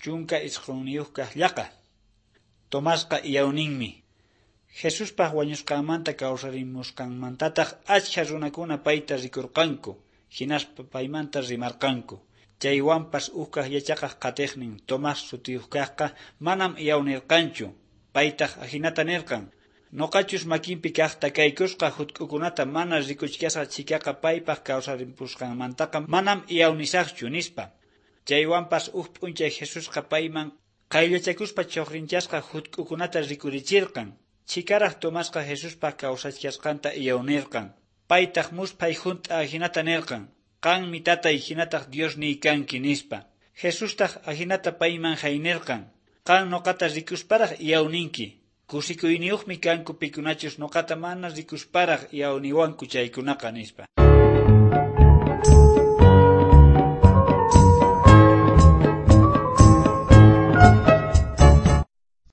19 kaq llaqa. Tomasqa iyawninmi. Jesuspaq wañusqanmanta kawsarimusqanmantataq achkha runakuna payta rikurqanku, hinaspa paymanta rimarqanku. Chaywanpas ukkaq yachaqaq qatiqnin Tomás sutiyuq kaqqa manam iyawnirqanchu. Paytaq ajinata nirqan: Nuqachus makinpi kaq takaykusqa hutk'ukunata mana rikuchkasqa chhikaqa paypaq kawsarimpusqanmantaqa manam iyawnisaqchu, nispa. Chaywanpas uj p'unchay Jesusqa payman qayllachakuspa chuqrinchasqa hutk'ukunata rikurichirqan. Chhikaraq Tomasqa Jesuspaq kawsachkasqanta iyawnirqan. Paytaq musphay junt'a ajinata nirqan: Qanmi tatay hinataq Diosniy kanki, nispa. Jesustaq ajinata payman jaynirqan: Qan nuqata rikusparaq iyawninki. Kusikuyniyuqmi kanku pikunachus nuqata mana rikusparaq iyawniwanku chaykunaqa, nispa.